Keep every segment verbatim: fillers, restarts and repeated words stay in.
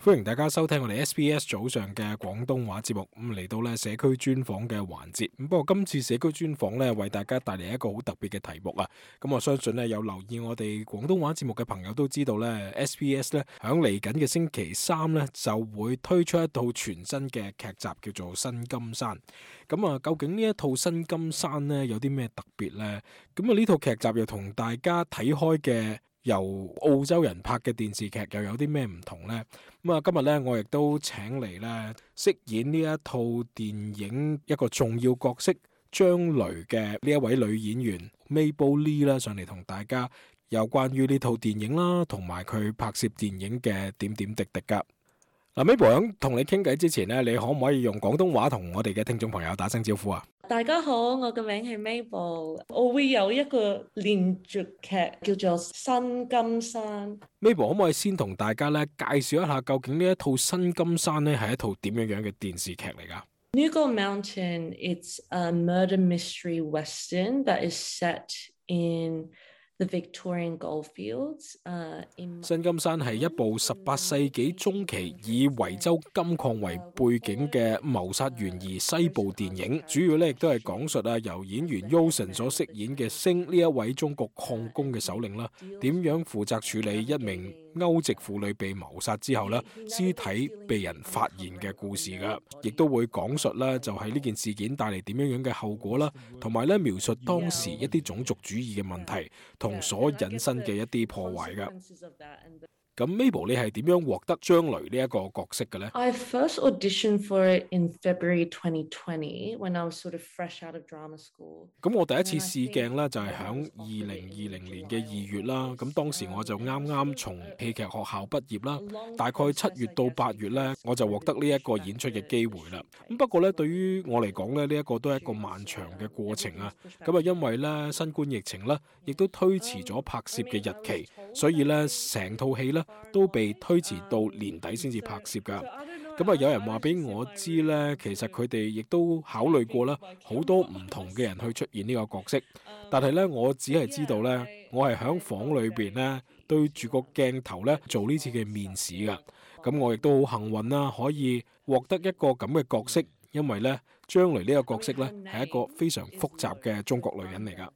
歡迎大家收聽我哋 S B S 早上嘅廣東話節目，咁嚟到咧社區專訪嘅環節。咁不過今次社區專訪咧為大家帶嚟一個好特別嘅題目啊！咁我相信咧有留意我哋廣東話節目嘅朋友都知道咧 S B S 咧響嚟緊嘅星期三咧就會推出一套全新嘅劇集叫做《新金山》。咁啊，究竟呢一套《新金山》咧有啲咩特別呢？咁啊呢套劇集又同大家睇開嘅由澳洲人拍嘅電視劇又有啲咩唔同呢？咁啊，今日咧我亦都請嚟咧飾演呢一套電影一個重要角色張雷嘅呢一位女演員 Mabel Lee 啦，上嚟同大家有關於呢套電影啦，同埋佢拍攝電影嘅點點滴滴噶。嗱 ，Mabel 響同你傾偈之前咧，你可唔可以用廣東話同我哋嘅聽眾朋友打聲招呼啊？大家好，我嘅名係 Mabel， 我會有一個連續劇叫做《新金山》。Mabel 可唔可以先同大家咧介紹一下，究竟呢一套《新金山》咧係一套點樣樣嘅電視劇嚟噶？Nugal Mountain, it's a murder mystery western that is set in The Victorian Goldfields, uh, in... 新金山係一部十八世紀中期以維州金礦為背景嘅謀殺懸疑西部電影，主要咧亦都係講述啊由演員 Yoson 所飾演嘅星呢一位中國礦工嘅首領啦，點樣負責處理一名歐籍婦女被謀殺之後咧，屍體被人發現嘅故事噶，亦都會講述啦就係呢件事件帶嚟點樣樣嘅後果啦，同埋咧描述當時一啲種族主義嘅問題同所引申嘅一啲破壞噶。咁 Mabel 你係點樣獲得張雷呢一個角色嘅呢？ I first auditioned for it in February twenty twenty when I was sort of fresh out of drama school. 咁我第一次試鏡咧就係響二零二零年嘅二月啦。咁當時我就啱啱從戲劇學校畢業啦，大概七月到八月咧我就獲得呢一個演出嘅機會啦。咁不過咧對於我嚟講咧呢一個都係一個漫長嘅過程啊。咁啊因為咧新冠疫情咧亦都推遲咗拍攝嘅日期，所以咧成套戲咧都被推遲到年底先至拍攝噶。咁啊有人話俾我知咧，其實佢哋亦都考慮過啦，好多唔同嘅人去出現呢個角色。但係咧我只係知道咧，我係響房裏邊咧對住個鏡頭咧做呢次嘅面試噶。咁我亦都好幸運啦，可以獲得一個咁嘅角色，因為咧張雷呢個角色咧係一個非常複雜嘅中國女人嚟噶。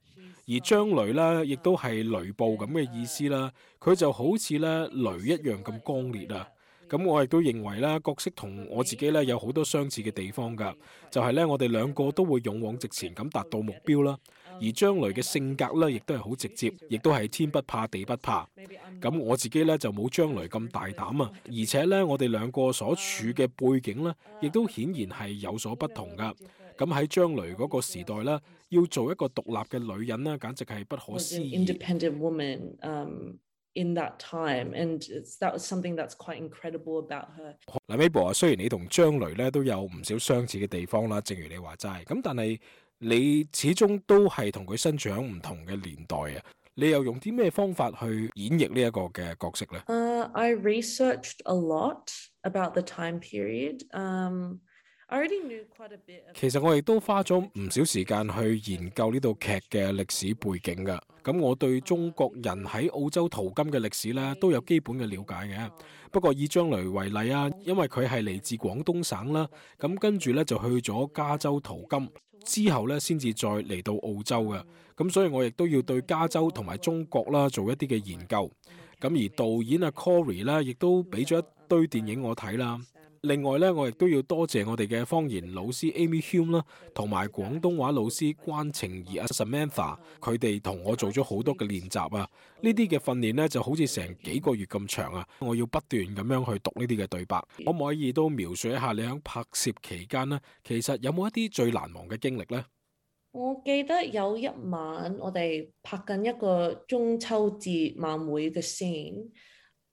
而張雷咧，亦都係雷暴咁嘅意思啦。佢就好似咧雷一樣咁剛烈啊！咁我亦都認為咧，角色同我自己咧有好多相似嘅地方噶，就係咧我哋兩個都會勇往直前咁達到目標啦。而張雷嘅性格咧，亦都係好直接，亦都係天不怕地不怕。咁我自己咧就冇張雷咁大膽啊，而且咧我哋兩個所處嘅背景咧，亦都顯然係有所不同噶。咁喺張雷嗰個時代咧，要做一個獨立嘅女人咧，簡直係不可思議。Independent woman, um, in that time, and that was something that's quite incredible about her. 嗱 ，Mabel 啊，雖然你同張雷咧都有唔少相似嘅地方啦，正如你話齋，咁但係你始終都係同佢身處喺唔同嘅年代啊。你又用啲咩方法去演繹呢一個嘅角色咧？ Uh, I researched a lot about the time period. Um, 其實我亦都花咗唔少時間去研究呢套劇嘅歷史背景噶。咁我對中國人喺澳洲淘金嘅歷史咧都有基本嘅了解嘅。不過以張雷為例啊，因為佢係嚟自廣東省啦，咁跟住咧就去咗加州淘金，之後咧先至再嚟到澳洲嘅。咁所以我亦都要對加州同埋中國啦做一啲嘅研究。咁而導演阿 Corey 啦，亦都俾咗一堆電影我睇啦。另外咧，我亦都要多謝我哋嘅方言老師 Amy Hume 啦，同埋廣東話老師關晴怡阿 Samantha， 佢哋同我做咗好多嘅練習啊！呢啲嘅訓練咧就好似成幾個月咁長啊！我要不斷咁樣去讀呢啲嘅對白，可唔可以都描述一下你喺拍攝期間呢？其實有冇一啲最難忘嘅經歷呢？我記得有一晚我哋拍緊一個中秋節晚會嘅 scene。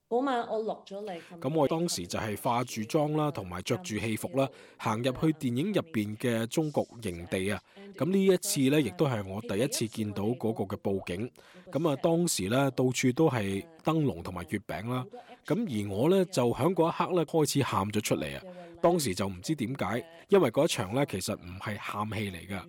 嗰晚我落咗嚟，咁我當時就係化住妝啦，同埋着住戲服啦，行入去電影入邊嘅中國營地啊。咁呢一次呢，亦都係我第一次見到嗰個嘅佈景。咁啊，當時呢，到處都係燈籠同埋月餅啦。咁而我呢，就喺嗰一刻呢，開始喊咗出嚟啊！當時就唔知點解，因為嗰一場呢，其實唔係喊戲嚟㗎。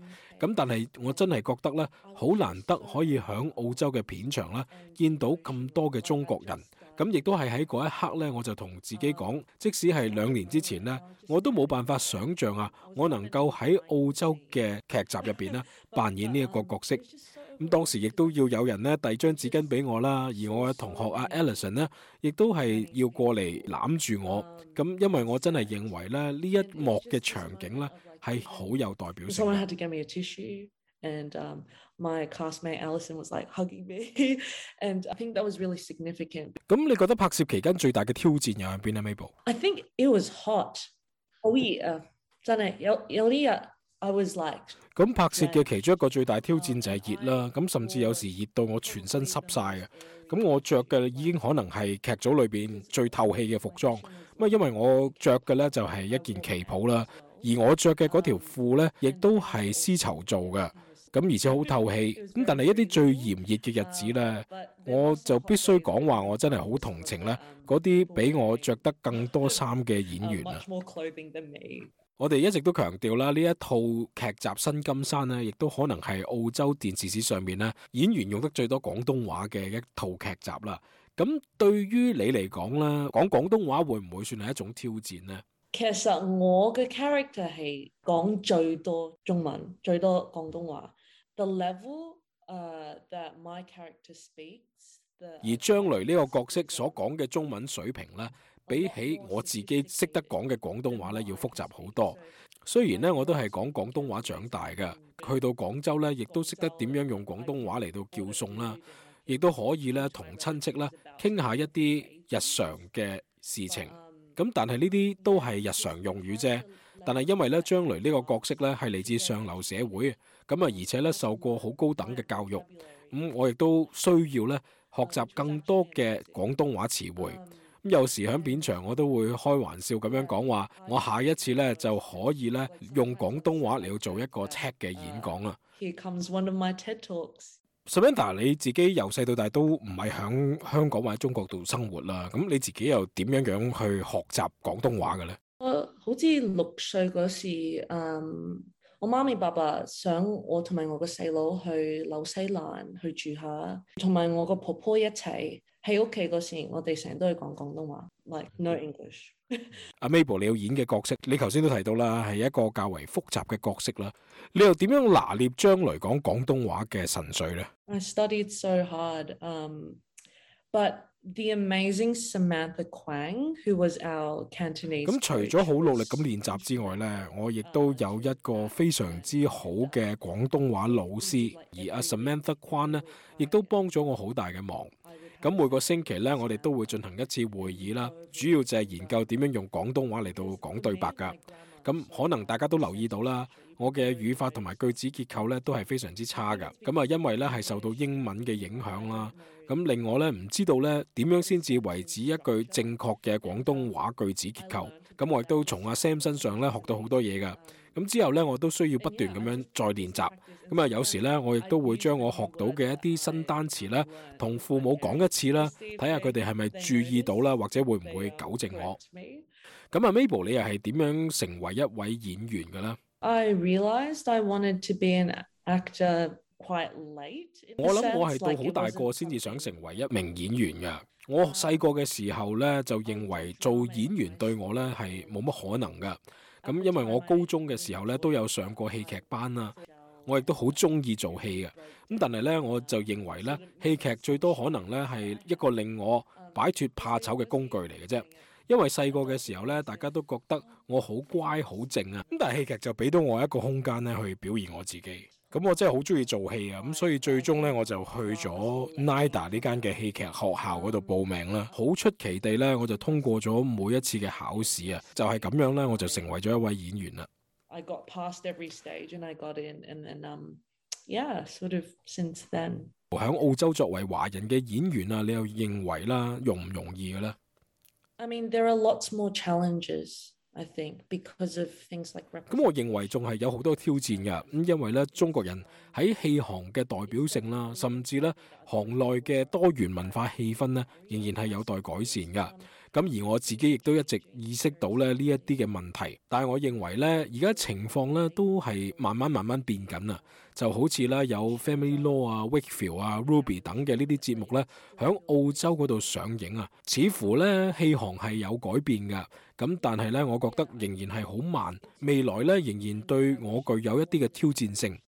咁但係我真係覺得呢，好難得可以喺澳洲嘅片場呢，見到咁多嘅中國人。咁亦都係喺嗰一刻咧，我就同自己講，即使係兩年之前咧，我都冇辦法想像啊，我能夠喺澳洲嘅劇集入邊咧扮演呢一個角色。咁當時亦都要有人咧遞張紙巾俾我啦，而我嘅同學阿 Alison 咧，亦都係要過嚟攬住我。咁因為我真係認為咧，呢一幕嘅場景咧係好有代表性。 Someone had to give me a tissue, and um, my classmate Alison was like hugging me, and I think that was really significant. 咁你覺得拍攝期間最大嘅挑戰又係邊啊 Mabel？ I think it was hot. 好熱啊，真係有有啲日 I was like。咁拍攝嘅其中一個最大挑戰就係熱啦，咁甚至有時熱到我全身濕晒嘅。咁我着嘅已經可能係劇組裏邊最透氣嘅服裝。咁啊，因為我着嘅咧就係一件旗袍啦，而我着嘅嗰條褲咧亦都係絲綢做嘅。咁而且好透氣。咁但係一啲最炎熱嘅日子咧，我就必須講話，我真係好同情咧嗰啲比我着得更多衫嘅演員啊！我哋一直都強調啦，呢一套劇集《新金山》咧，亦都可能係澳洲電視史上面咧演員用得最多廣東話嘅一套劇集啦。咁對於你嚟講咧，講廣東話會唔會算係一種挑戰呢？其實我嘅 character 係講最多中文，最多廣東話。The level, uh, that my character speaks, the... 而張雷呢個角色所講嘅中文水平咧，比起我自己識得講嘅廣東話咧，要複雜好多。雖然咧我都係講廣東話長大嘅，去到廣州咧，亦都識得點樣用廣東話嚟到叫餸啦，亦都可以咧同親戚咧傾下一啲日常嘅事情。咁但係呢啲都係日常用語啫。但係因為咧張雷呢個角色咧係嚟自上流社會，咁啊而且咧受過好高等嘅教育，咁我亦都需要咧學習更多嘅廣東話詞彙。咁有時喺片場我都會開玩笑咁樣講話，我下一次咧就可以咧用廣東話嚟到做一個 TED 嘅演講啦。Here comes one of my TED Talks. Samantha， 你自己由細到大都唔係喺香港或者中國度生活啦，咁你自己又點樣樣去學習廣東話嘅咧？我好似六歲嗰時，嗯，我媽咪爸爸想我同埋我個細佬去紐西蘭去住下，同埋我個婆婆一齊喺屋企嗰時，我哋成日都係講廣東話 ，like no English。阿 Mabel， 你要演嘅角色，你頭先都提到啦，係一個較為複雜嘅角色啦。你又點樣拿捏將來講廣東話嘅神髓呢？ I studied so hard, um, but the amazing Samantha Kwang, who was our Cantonese。咁除咗好努力咁練習之外呢，我亦都有一個非常之好嘅廣東話老師，而阿 Samantha Kwang 呢，亦都幫咗我好大嘅忙。咁每個星期咧，我哋都會進行一次會議啦，主要就係研究點樣用廣東話嚟到講對白噶。咁可能大家都留意到啦，我嘅語法同埋句子結構咧都係非常之差噶。咁啊，因為咧係受到英文嘅影響啦，咁令我咧唔知道咧點樣先至為止一句正確嘅廣東話句子結構。咁我亦都從阿 Sam 身上咧學到好多嘢噶。咁之後咧，我都需要不斷咁樣再練習。咁啊，有時咧，我亦都會將我學到嘅一啲新單詞咧，同父母講一次啦，睇下佢哋係咪注意到啦，或者會唔會糾正我。咁啊 ，Mabel， 你又係點樣成為一位演員嘅咧？ I realized I wanted to be an actor quite late。我諗我係到好大個先至想成為一名演員嘅。我細個嘅時候咧，就認為做演員對我咧係冇乜可能噶。咁因為我高中嘅時候咧都有上過戲劇班啦，我亦都好中意做戲嘅。咁但係咧我就認為咧戲劇最多可能咧係一個令我擺脫怕醜嘅工具嚟嘅啫。因為細個嘅時候咧，大家都覺得我好乖好靜啊。咁但係戲劇就俾到我一個空間咧去表現我自己。咁我真係好中意做戲啊！咁所以最終咧我就去咗 N I D A 呢間嘅戲劇學校嗰度報名啦。好出奇地咧，我就通過咗每一次嘅考試啊！就係咁樣咧，我就成為咗一位演員啦。I got past every stage and I got in, and then um, yeah, sort of since then。喺澳洲作為華人嘅演員啊，你又認為啦容唔容易嘅咧？ I mean, there are lots more challenges.I think because of things like 咁我認為仲係有好多挑戰㗎。咁因為咧中國人喺戲行嘅代表性啦，甚至咧行內嘅多元文化氣氛咧，仍然係有待改善㗎。咁而我自己亦都一直意識到咧呢一啲嘅問題，但係我認為呢，而家情況呢都係慢慢慢慢變緊啊！就好似咧有 Family Law 啊、Wakefield 啊、Ruby 等嘅呢啲節目呢，響澳洲嗰度上映啊，似乎呢戲行係有改變㗎。咁但係呢，我覺得仍然係好慢，未來呢仍然對我具有一啲嘅挑戰性。